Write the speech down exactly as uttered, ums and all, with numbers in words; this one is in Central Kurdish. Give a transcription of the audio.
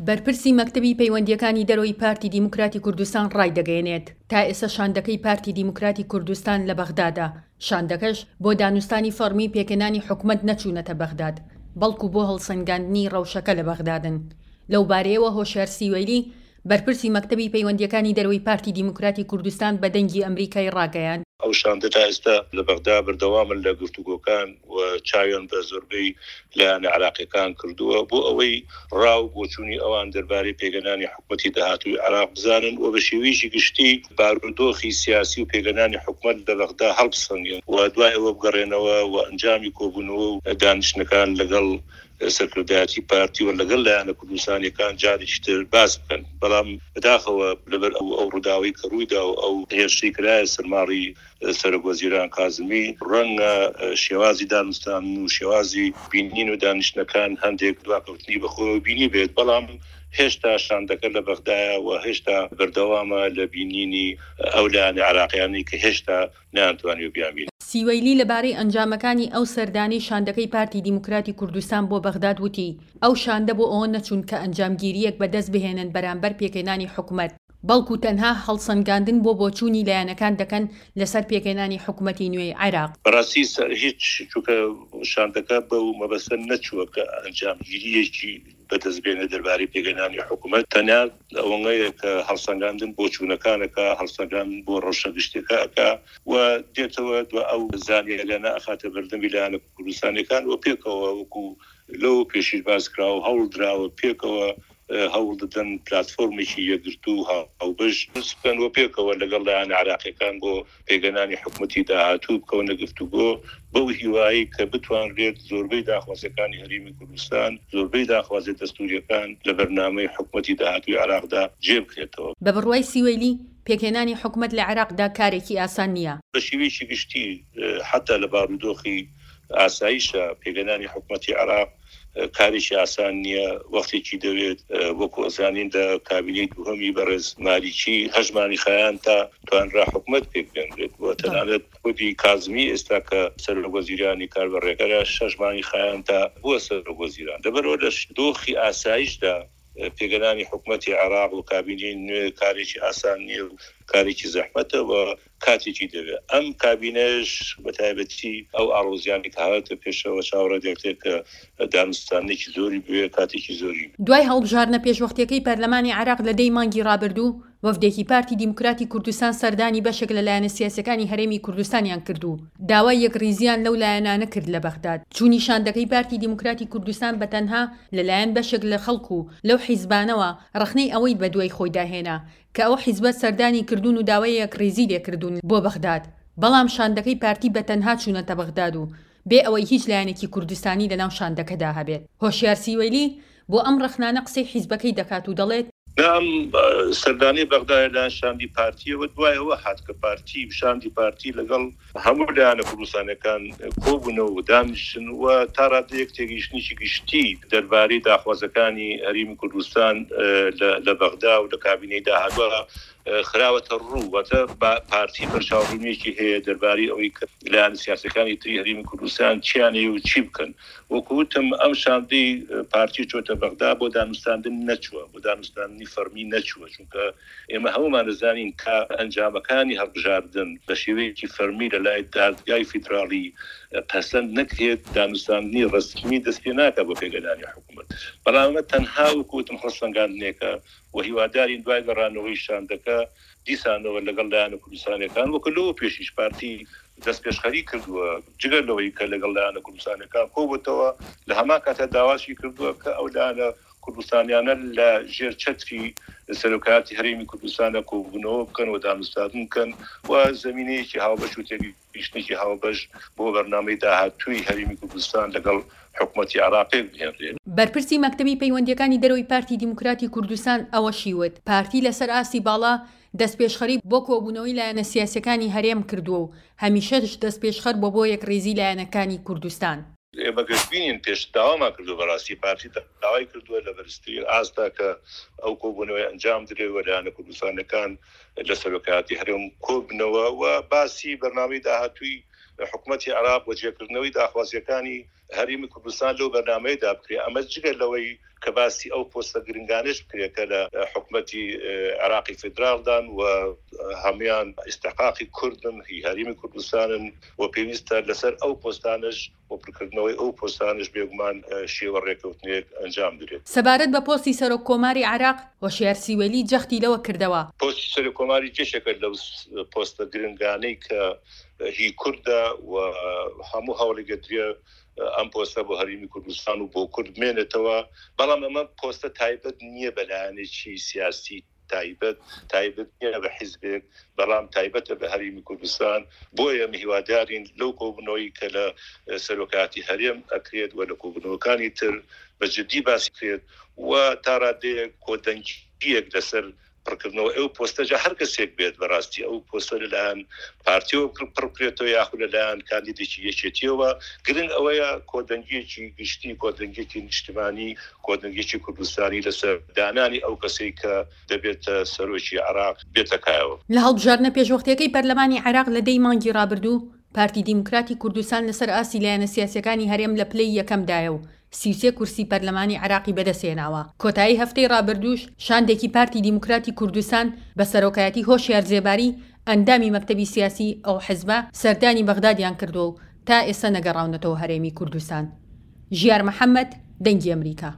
بەرپرسی مەکتەبی پەیوەندییەکانی دەرەوەی پارتی دیموکراتی کوردستان ڕایدەگەیەنێت، تا ئێستا شاندەکەی پارتی دیموکراتی کوردستان لە بەغدادە، شاندەکەش بۆ دانوستانی فەڕمی پێکهێنانی حکومەت نەچوونەتە بەغداد، بەڵکو بۆ هەڵسەنگاندنی ڕەوشەکە لە بەغدادن. لەو بارەیەوە هۆشیار سیوەیلی، بەرپرسی مەکتەبی پەیوەندییەکانی دەرەوەی پارتی دیموکراتی کوردستان بە دەنگی ئەمریکای ڕاگەیاند، ئەو شاندە تا ئێستا لە بەغدا بەردەوامن لە گفتوگۆکان و چاویان بە زۆربەی لایەنە عێراقییەکان کردووە بۆ ئەوەی ڕا و بۆچوونی ئەوان دەربارەی پێکهێنانی حکومەتی داهاتووی عێراق بزانن و بە شێوەیەکی گشتی بارودۆخی سیاسی و پێکهێنانی حکومەت لە بەغدا هەڵبسەنگێن و دوای ئەوە بگەڕێنەوە و ئەنجامی کۆبوونەوە و دانیشتنەکان لەگەڵ سەرکردایەتی پارتی و لەگەڵ لایەنە کوردستانیەکان جارێکی تر باس بکەن. بەڵام بەداخەوە لەبەر ئەو ئەو ڕووداوەی کە ڕوویدا و ئەو هێرشەی کرایە سەر ماڵی سەرۆک وەزیران کازمی، ڕەنگە شێوازی دانوستاندن و شێوازی بینین و دانیشتنەکان هەندێک دواکەوتنی بەخۆیەوە بینی بێت، بەڵام هێشتا شاندەکە لە بەغدایە و هێشتا بەردەوامە لە بینینی ئەو لایەنە عێراقیانەی کە هێشتا نەیانتوانیوە بیانبینن. سیوەیلی لەبارەی ئەنجامەکانی ئەو سەردانەی شاندەکەی پارتی دیموکراتی کوردستان بۆ بەغداد وتی، ئەو شاندە بۆ ئەوە نەچوون کە ئەنجامگیرییەک بەدەست بهێنن بەرامبەر پێکهێنانی حکومەت، بەڵکو تەنها هەڵسەنگاندن بۆ بۆچوونی لایەنەکان دەکەن لەسەر پێکهێنانی حکومەتی نوێی عێراق. بەڕاستی هیچ، چونکە شاندەکە بەو مەبەستە نەچووە کە ئەنجامگیرییەکی بەدەست بێنێ دەربارەی پێکهێنانی حکومەت، تەنیا ئەوەنەیە کە هەڵسەنگاندن بۆ چوونەکانەکە، هەڵسەنگاندن بۆ ڕەوشە گشتیەکە ئەکا و دێتەوە دو ئەو زانیاریانە ئەخاتە بەردەمی لایەنە کوردستانیەکان و پێکەوە وەکو لەو پێشیش باس کراوە هەوڵ دراوە پێکەوە هەوڵ دەدەن پلاتفۆرمێکی یەکگرتوو هاوبەش دروست بکەن و پێکەوە لەگەڵ لایەنە عێراقیەکان بۆ پێکهێنانی حکومەتی داهاتوو بکەونە گفتوگۆ، بەو هیوایی کە بتوانرێت زۆربەی داخوازیەکانی هەرێمی کوردستان، زۆربەی داخوازیە دەستوریەکان لە بەرنامەی حکومەتی داهاتووی عێراقدا جێ بکرێتەوە. بە بڕوای سیوەیلی، پێکهێنانی حکومەت لە عێراقدا کارێکی ئاسان نییە. بە شێوەیەکی گشتی حەتا لە بارودۆخی ئاسایشە پێکهێنانی حکومەتی عێراق کارێکی ئاسان نییە، وەختێکی دەوێت. وەکو ئەزانین لە کابینەی دووهەمی بەڕێز مالیکی هەژمانی خایان تا توانرا حکومەت پێک بێنرێت و تەنانەت خودی کازمی ئێستا کە سەرۆک وەزیرانی کاربەڕێکەرە شەش مانگی خایان تا بووە سەرۆک وەزیران. لەبەرئەوە لە دۆخی ئاسایشدا پێکهێنانی حکومەتی عێراق و کابینەی نوێ کارێکی ئاسان نییە و کارێکی زەحمەتە و کاتێکی دەوێت. ئەم کابینەش بە تایبەتی ئەو ئاڵۆزیانەی کە هاتە پێشەوە چاوەڕێ دەکرێت کە دانوستاندنێکی زۆری بوێ، کاتێکی زۆری. دوای هەڵبژاردنە پێشوەختیەکەی پەرلەمانی عێراق لە دەی مانگی ڕابردوو، وەفدێکی پارتی دیموکراتی کوردستان سەردانی بەشێک لە لایەنە سیاسیەکانی هەرێمی کوردستانیان کرد و داوای یەکڕیزیان لەو لایەنانە کرد لە بەغداد. چوونی شاندەکەی پارتی دیموکراتی کوردستان بە تەنها لە لایەن بەشێک لە خەڵک و لەو حیزبانەوە ڕەخنەی ئەوەی بەدوای خۆیدا هێنا کە ئەو حیزبە سەردانی کردوون و داوای یەکڕیزی لێکردوون بۆ بەغداد، بەڵام شاندەکەی پارتی بە تەنها چوونەتە بەغداد و بێ ئەوەی هیچ لایەنێکی کوردستانی لەناو شاندەکەدا هەبێت. هۆشیار سیوەیلی بۆ ئەم ڕەخنانە قسەی حیزبەکەی دەکات و دەڵێت، نا ئەم سەردانەی بەغدا لەلایەن شاندی پارتیەوە دوای ئەوە هات کە پارتی و شاندی پارتی لەگەڵ هەموو لایەنە کوردستانیەکان کۆبوونەوە و دانیشتن و تا ڕادەیەک تێگەیشتنێکی گشتی دەربارەی داخوازەکانی هەرێمی کوردستان لە بەغدا و لە کابینەی داهاتووە خراوەتە ڕوو. واتە پارتی بەرچاوڕوونیەکی هەیە دەربارەی ئەوەی کە لایەنە سیاسیەکانی تری هەرێمی کوردستان چیان هەیە و چی بکەن. وەکو وتم ئەم شاندەی پارتی چۆتە بەغدا بۆ دانوستاندن نەچووە، بۆ دانوستاندنی فەرمی نەچووە، چونکە ئێمە هەموومان دەزانین کە ئەنجامەکانی هەڵبژاردن بە شێوەیەکی فەرمی لە لای دادگای فیدراڵی پەسەند نەکرێت، دانوستاندنی ڕەسمی دەست پێ ناکات بۆ پێکهێنانی حکوومەت. بەڵام ئەمە تەنها وەکو وتم هەڵسەنگاندنێکە و هیوادارین دوای گەڕانەوەی شاندەکە دیسانەوە لەگەڵ لایەنە کوردستانیەکان وەکو لەوە پێشیش پارتی دەستپێشخەری کردووە، جگە لەوەی کە لەگەڵ لایەنە کوردستانیەکان کۆبووتەوە، لە هەمان کاتە داواشی کردووە کە ئەو لایەنە کوردستانیانە لە ژێر چەتری سەرۆکایەتی هەرێمی کوردستانە کۆبوونەوە بکەن و دانوستاندن بکەن و زەمینەیەکی هاوبەش و تێگەیشتنێکی هاوبەش بۆ بەرنامەی داهاتووی هەرێمی کوردستان لەگەڵ حکومەتی عێراق پێک بهێنرێت. بەرپرسی مەکتەبی پەیوەندییەکانی دەرەوەی پارتی دیموکراتی کوردستان ئەوەشی وت، پارتی لەسەر ئاستی باڵا دەستپێشخەری بۆ کۆبوونەوەی لایەنە سیاسییەکانی هەرێم کردووە و هەمیشەش دەستپێشخەر بووە بۆ یەکڕیزی لایەنەکانی کوردستان. ئێمە گەشبینین، پێش داوامان کردووە، بەڕاستی پارتی داوای کردووە لە بەرزترین ئاستا کە ئەو کۆبوونەوەی ئەنجام درێت و لایەنە کوردستانەکان لە سەرۆکایەتی هەرێم کۆبنەوە و باسی بەرنامەی داهاتووی حکومەتی عێراق و جێکردنەوەی داخوازیەکانی هەرێمی کوردستان لەو بەرنامەیەدا بکرێت. ئەمە جگە لەوەی کە باسی ئەو پۆستە گرنگانەش بکرێت کە لە حکومەتی عێراقی فیدراڵدان و هەمویان ئیستحقاقی کوردن، هی هەرێمی کوردستانن و پێویستە لەسەر ئەو پۆستانش و پڕکردنەوەی ئەو پۆستانش بێگومان شێوە ڕێککەوتنێک ئەنجام درێت. سەبارەت بە پۆستی سەرۆک کۆماری عێراق، هۆشیار سیوەیلی جەختی لەوە کردەوە، پۆستی سەرۆک کۆماری یەکێکە لەو پۆستە گرنگانەی کە هی کوردە و هەموو هەوڵێک دەدرێت ئەم پۆستە بۆ هەرێمی کوردستان و بۆ کورد بمێنێتەوە، بەڵام ئەمە پۆستە تایبەت نییە بە لایەنێکی سیاسی تایبەت، تایبەت نییە بە حیزبێک، بەڵام تایبەتە بە هەرێمی کوردستان. بۆیە ئێمە هیوادارین لەو کۆبوونەوەی کە لە سەرۆکاتی هەرێم ئەکرێت و لە کۆبوونەوەکانی تر بە جدی باسی کرێت و تا ڕادەیەک کۆدەنگییەک لەسەر پڕکردنەوە ئەو پۆستە، جا هەر کەسێک بێت بەڕاستی ئەو پۆستە لەلایەن پارتیەوە پڕ بکرێتەوە یاخود لەلایەن کاندیدێکی یەکێتیەوە. گرنگ ئەوەیە کۆدەنگیەکی گشتی، کۆدەنگیەکی نیشتمانی، کۆدەنگیەکی کوردستانی لەسەر دانانی ئەو کەسەی کە دەبێتە سەرۆکی عێراق بێتە کایەوە. لە هەڵبژاردنە پێشوەختیەکەی پەرلەمانی عێراق لە دەی مانگی ڕابردوو، پارتی دیموکراتی کوردستان لەسەر ئاستی لایەنە سیاسیەکانی هەرێم لە پلەی یەکەمدایە و سی و سێ کورسی پەرلەمانی عێراقی بەدەستهێناوە. کۆتایی هەفتەی ڕابردووش شاندێکی پارتی دیموکراتی کوردستان بە سەرۆکایەتی هۆشیار زێباری ئەندامی مەکتەبی سیاسی ئەو حزبە سەردانی بەغدادیان کردووە و تا ئێستا نەگەڕاونەتەوە هەرێمی کوردستان. ژیار محەمەد، دەنگی ئەمریکا.